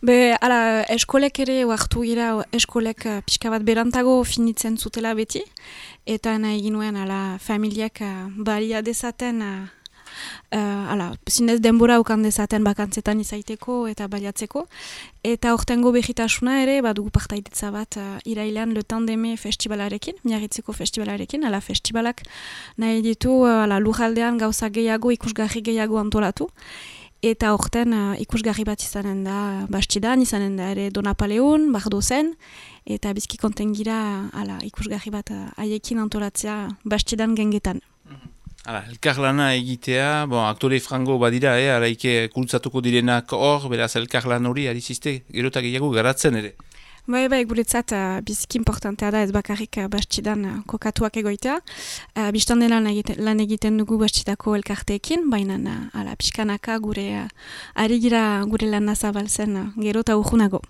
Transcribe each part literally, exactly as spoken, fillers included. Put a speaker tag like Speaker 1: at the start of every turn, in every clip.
Speaker 1: Be, ala, eskolek ere oartu gira, eskolek uh, pixka bat berantago finitzen zutela beti, eta nahi ginuen ala, familiak uh, balia dezaten, uh, uh, ala, zinez denbora ukan dezaten bakantzetan izaiteko eta baliatzeko, eta hortengo behitasuna ere, badugu partaidetza bat uh, irailean Le Tandeme festivalarekin, miarritzeko festivalarekin, ala festivalak nahi ditu uh, ala, lujaldean gauza gehiago, ikusgarri gehiago antolatu, eta horten uh, ikusgarri bat izanen da Bastidan, izanen da ere Donapaleun, Bardozen, eta bizki konten gira ala, ikusgarri bat uh, haiekin antolatzea Bastidan gengetan.
Speaker 2: Hala, elkarlana egitea, bon, aktore frango badira, eh, araike kultzatuko direnak hor, beraz elkarlan hori ari ziste, gerotak gehiago garatzen ere.
Speaker 1: Bai, bai, guretzat uh, biziki importantea da ez bakarrik uh, Bastidan uh, kokatuak egoitea. Uh, Bistan dela lan egiten, lan egiten dugu Bastidako elkarteekin, baina uh, ala pixkanaka gure uh, ari gira gure lan nazabaltzen uh, gero eta urgunago.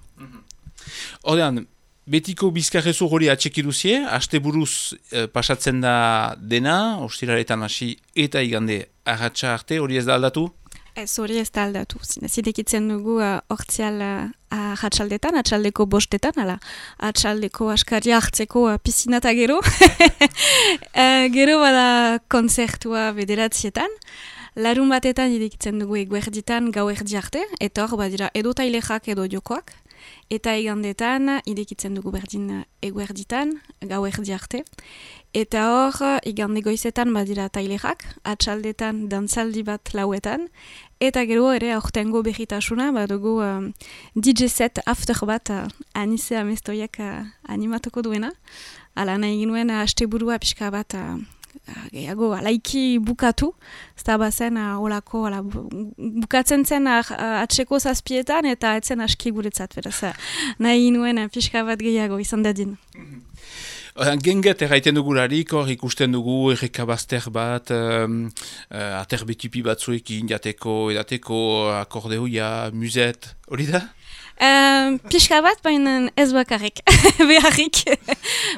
Speaker 2: Horrean, betiko bizkarrezu hori atxekiduzie, haste buruz eh, pasatzen da dena, ostiraretan hasi eta igande arratsa arte, hori ez da aldatu?
Speaker 1: Ez hori ez da aldatu. Zidekitzen dugu hortzial uh, uh, atxaldetan, atxaldeko bostetan, ala, atxaldeko askaria hartzeko uh, piscina eta gero. uh, gero bada konzertua bederatzietan. Larun batetan irekitzen dugu eguerditan gau erdi arte, eta hor badira edo tailexak edo jokoak. Eta igandetan irekitzen dugu berdin eguerditan gau erdi arte. Eta hor, igande goizetan badira tailexak, atxaldetan dantzaldi bat lauetan, eta gero ere aurtengo behitasuna, badugu um, D J set after bat uh, Anize Amestoiak uh, animatuko duena. Ala nahi ginuen uh, asteburua pixka bat uh, gehiago alaiki bukatu, ez da bazen uh, olako ala, bu, bukatzen zen uh, atseko zazpietan eta etzen aski guretzat, beraz uh, nahi ginuen uh, pixka bat gehiago izan dadin.
Speaker 2: Genget erraiten dugularik, hor ikusten dugu errekabazter bat, um, uh, aterbetipi batzuekin, jateko, edateko, akordeoia, muzet, hori da?
Speaker 1: Um, pixka bat, baina ez bakarrik, beharrik.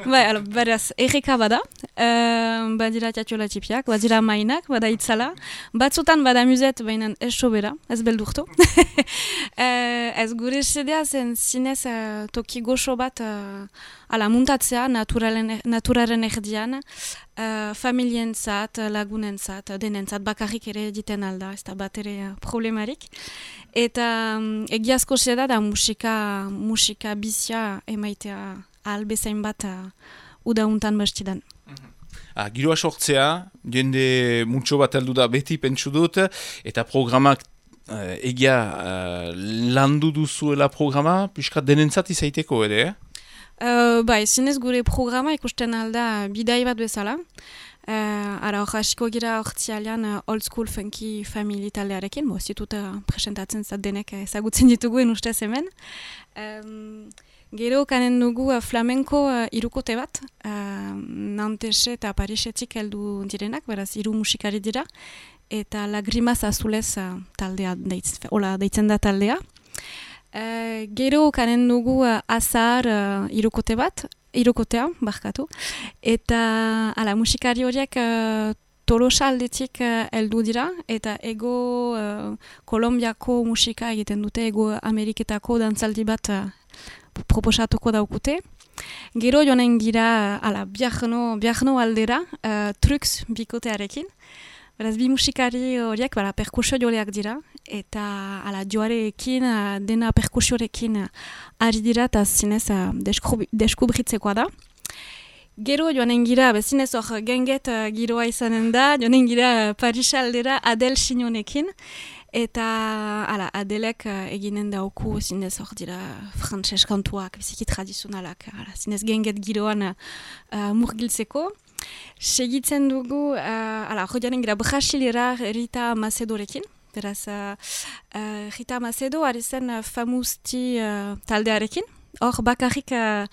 Speaker 1: Bai, alo, beraz, erreka bada, um, badira tiatiola tipiak, badira mainak, bada itzala, batzutan bada muzet, baina ez sobera, ez beldurtu. uh, ez gure sedea zen zinez uh, toki goxo bat uh, ala muntatzea naturalen, naturaren erdian, uh, familientzat, lagunentzat, denentzat, bakarrik ere egiten alda, ez da bat ere uh, problemarik. Eta um, egiazko seda da musika, musika bizia emaitea albezain bat uh, udauntan Bastidan.
Speaker 2: Ah, giroa sortzea, jende mutxo bat heldu da beti pentsu dut, eta programak uh, egia uh, landu duzuela programa, piskat denentzat izaiteko ere, eh?
Speaker 1: Uh, bai, zinez gure programa ikusten alda bidai bat bezala. Uh, ara hor hasiko gira hortzialean uh, old school funky family taldearekin, bo zitut uh, presentatzen zat denek ezagutzen dituguen ustez hemen. Um, gero kanen dugu uh, flamenko uh, irukote bat, uh, Nantese eta Parisetik heldu direnak, beraz hiru musikari dira, eta Lagrimas Azulez uh, taldea deitz, ola, deitzen da taldea. Uh, gero kanen dugu uh, azar uh, irukote bat, irukotea, barkatu, eta ala, musikari horiek uh, Tolosa aldetik uh, heldu dira, eta ego uh, Kolombiako musika egiten dute, ego Ameriketako dantzaldi bat uh, proposatuko daukute. Gero joanen gira ala, biarno, biarno aldera, uh, Trux bikotearekin. Beraz, bi musikari horiek, bera, perkusio joleak dira, eta ala, joarekin, dena perkusiorekin ari dira, eta zinez uh, deskubritzekoa da. Gero joanen gira, bezinez hor genget uh, giroa izanen da, joanen gira Paris aldera Adel Signonekin, eta ala, Adelek uh, eginen dauku zinez hor dira frantses kantuak, biziki tradizionalak, ala, zinez genget giroan uh, murgiltzeko. Segitzen dugu, uh, ala, joanen gira Brasilera Rita Macedorekin, beraz, uh, uh, Rita Macedo ari zen uh, Famousti uh, taldearekin. Hor, bakarrik, uh,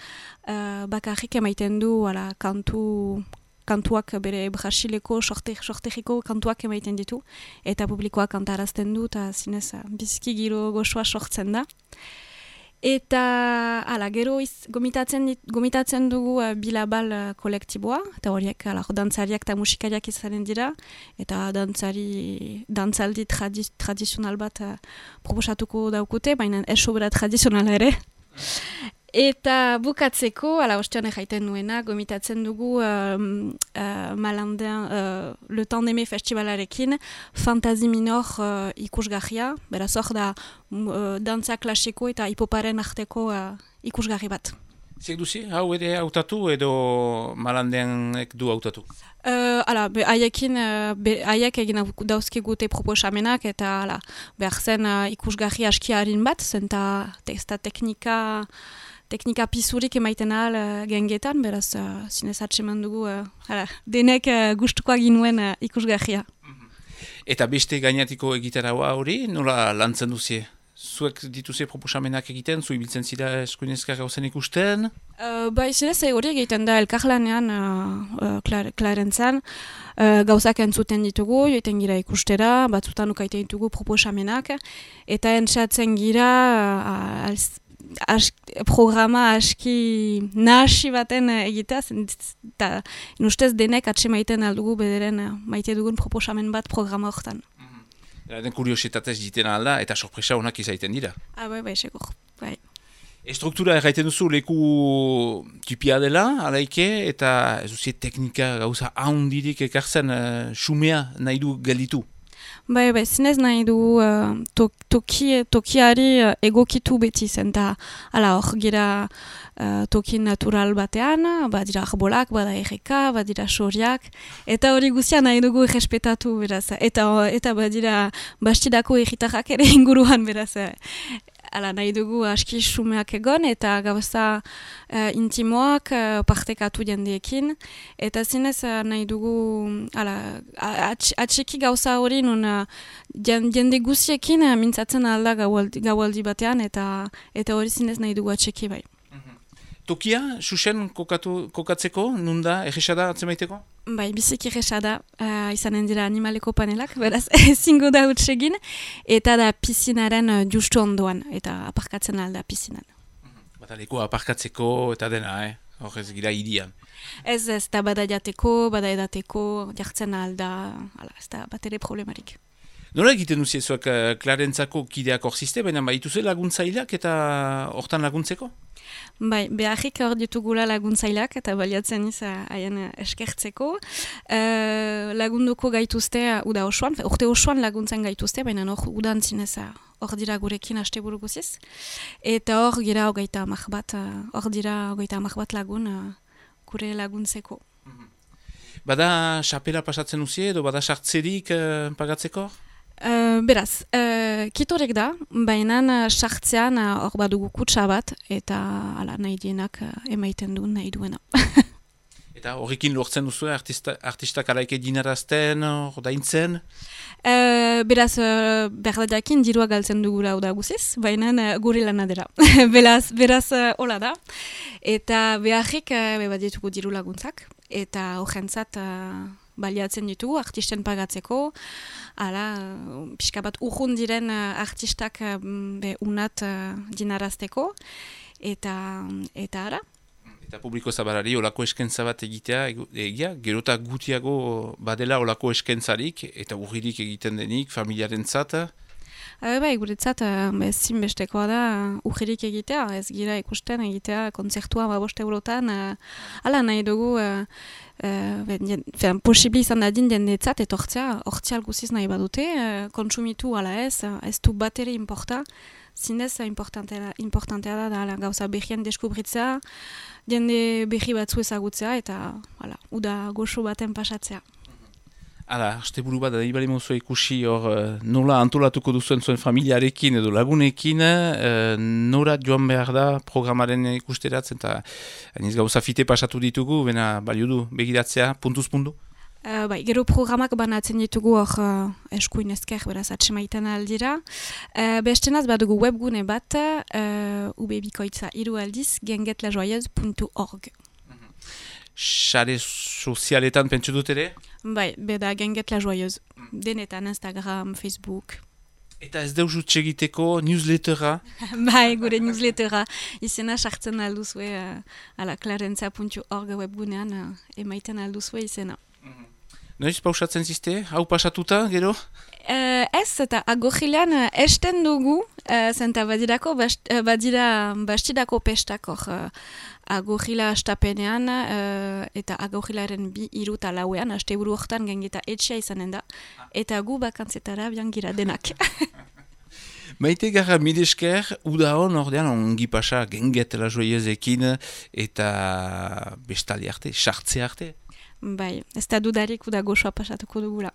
Speaker 1: uh, bakarrik emaiten du, ala, kantu, kantuak bere Brasileko sortegiko kantuak emaiten ditu, eta publikoak kantarazten du, eta zinez, uh, biziki giro goxoa sortzen da. Eta, ala, gero iz, gomitatzen, dit, gomitatzen dugu uh, bilabal uh, kolektiboa, eta horiek, ala, dantzariak eta musikariak izanen dira, eta dantzari, dantzaldi tradi, tradizional bat uh, proposatuko daukute, baina ez sobera tradizionala ere. Eta bukatzeko, ala, ostean jaiten nuena, gomitatzen dugu uh, uh, Malandin uh, Le Temps d'Aimer festivalarekin Fantasie Minor uh, ikusgarria, beraz hor da uh, dantza klasiko eta hipoparen arteko uh, ikusgarri bat.
Speaker 2: Ziek duzi, hau ere hautatu edo Malandinek du hautatu?
Speaker 1: Uh, ala, be, haiekin, uh, be, haiek egin dauzkigute proposamenak eta ala, behar zen uh, ikusgarri aski harin bat, zenta testa teknika teknika pisurik emaiten ahal uh, gengetan, beraz uh, zinez atseman dugu uh, ala, denek uh, gustukoa ginuen uh, ikusgarria.
Speaker 2: Eta beste gainatiko egitaraua hori, nola lantzen duzie? Zuek dituze proposamenak egiten, zu ibiltzen zira eskuinezka gauzen ikusten?
Speaker 1: Uh, bai, zinez hori egiten da elkarlanean uh, uh, Klarentzan, uh, gauzak entzuten ditugu, joiten gira ikustera, batzutan ukaiten ditugu proposamenak, eta entzatzen gira uh, als, As, programa aski nahasi baten egitea, eta inustez denek atsemaiten aldugu bederen maite dugun proposamen bat programa horretan.
Speaker 2: Mm-hmm. Den kuriositatez jiten alda eta sorpresa honak izaiten dira.
Speaker 1: Ah, bai, bai, segur, bai.
Speaker 2: Estruktura erraiten duzu leku tipia dela, alaike, eta ez duzie teknika gauza haundirik ekartzen uh, xumea nahi du gelditu.
Speaker 1: Bai, bai, zinez nahi du uh, to, toki, tokiari uh, egokitu beti zen, eta ala hor gira uh, toki natural batean, badira arbolak, bada erreka, badira soriak, eta hori guztia nahi dugu errespetatu, beraz, eta, eta badira bastidako erritarrak ere inguruan, beraz, ala nahi dugu aski xumeak egon, eta gauza uh, intimoak uh, partekatu jendeekin, eta zinez uh, nahi dugu ala, atxiki gauza hori nun uh, jende guziekin uh, mintzatzen alda gaualdi, gaualdi batean, eta eta hori zinez nahi dugu atxiki bai.
Speaker 2: Tokia, Xuxen kokatu, kokatzeko, nunda, erresada atzemaiteko?
Speaker 1: Bai, biziki erresada, uh, izanen dira animaleko panelak, beraz, ezingo da hutsegin, eta da pizinaren uh, justu ondoan, eta aparkatzen alda pizinan.
Speaker 2: Mm-hmm. Bata leku aparkatzeko eta dena, eh? Hor ez gira irian.
Speaker 1: Ez, ez da bada jateko, bada edateko, jartzen alda, ala, ez da bat ere problemarik.
Speaker 2: Nola egiten duziezuak uh, Klarentzako kideak hor ziste, baina baituze laguntzaileak eta hortan laguntzeko?
Speaker 1: Bai, beharrik hor ditugula laguntzaileak eta baliatzen iz haien eskertzeko. Uh, lagunduko gaituzte uda osoan, urte osoan laguntzen gaituzte, baina hor udan zinez hor dira gurekin asteburu guziz. Eta hor gira hogeita amak bat, hor dira hogeita amak bat lagun uh, gure laguntzeko.
Speaker 2: Bada xapela pasatzen uzie edo bada sartzerik uh, pagatzeko?
Speaker 1: Uh, beraz, uh, kitorek da, baina sartzean hor uh, badugu kutsa bat, eta ala, nahi dienak uh, emaiten du nahi duena.
Speaker 2: Eta horrekin lortzen duzu artista, artistak alaike dinarazten, hor daintzen?
Speaker 1: Uh, beraz, uh, berdadakin dirua galtzen dugula da guziz, baina uh, gure lana dela. beraz, beraz, uh, hola da. Eta beharrik uh, beba ditugu diru laguntzak, eta horrentzat uh, baliatzen ditugu artisten pagatzeko, ala, pixka bat urrun diren uh, artistak uh, be unat uh, dinarazteko, eta, eta ara.
Speaker 2: Eta publiko zabalari olako eskentza bat egitea, egia, gerota gutiago badela olako eskentzarik, eta urririk egiten denik, familiaren zata?
Speaker 1: Uh, bai, guretzat, uh, zinbestekoa da uh, urririk egitea, ez gira ikusten egitea kontzertua babost eurotan, uh, ala nahi dugu, uh, uh, posibli izan dadin jendeetzat, etortzea, hortzial guziz nahi badute, uh, kontsumitu ala ez, uh, ez du bat ere importa, zinez importantea, importantea da, da gauza behien deskubritzea, jende behi batzu ezagutzea, eta ala, uda goxo baten pasatzea.
Speaker 2: Hala, asteburu bat, nahi bali mozua ikusi hor nola antolatuko duzuen zuen familiarekin edo lagunekin, uh, nora joan behar da programaren ikusteratzen, eta aniz gauza fite pasatu ditugu, bena balio du begiratzea, puntuz puntu?
Speaker 1: Uh, bai, gero programak banatzen ditugu hor uh, eskuin ezker, beraz atsemaiten aldira. Uh, bestenaz badugu webgune bat, uh, ubebikoitza hiru aldiz, gengetlajoyeuse puntu org.
Speaker 2: Sare sozialetan pentsu dut ere?
Speaker 1: Bai, beda Genget la Joyeuse. Denetan, Instagram, Facebook.
Speaker 2: Eta ez deus utxegiteko newslettera?
Speaker 1: Bai, gure newslettera. Izena sartzen alduzue, uh, ala clarentza puntu org webgunean uh, emaiten alduzue izena.
Speaker 2: Noiz pausatzen ziste? Hau pasatuta, gero?
Speaker 1: Uh, ez, eta agogilean uh, esten dugu, uh, zenta badirako, bast, uh, badira bastidako pestakor uh, agogila astapenean, uh, eta agogilaren bi iruta lauean, aste buru hortan gengeta etxea izanen da, eta gu bakantzetara biangira denak.
Speaker 2: Maite gara midesker, uda hon ordean ongi pasa gengetela joiezekin eta bestali arte, sartze arte.
Speaker 1: Bai, ez da dudarik uda goxoa pasatuko dugula.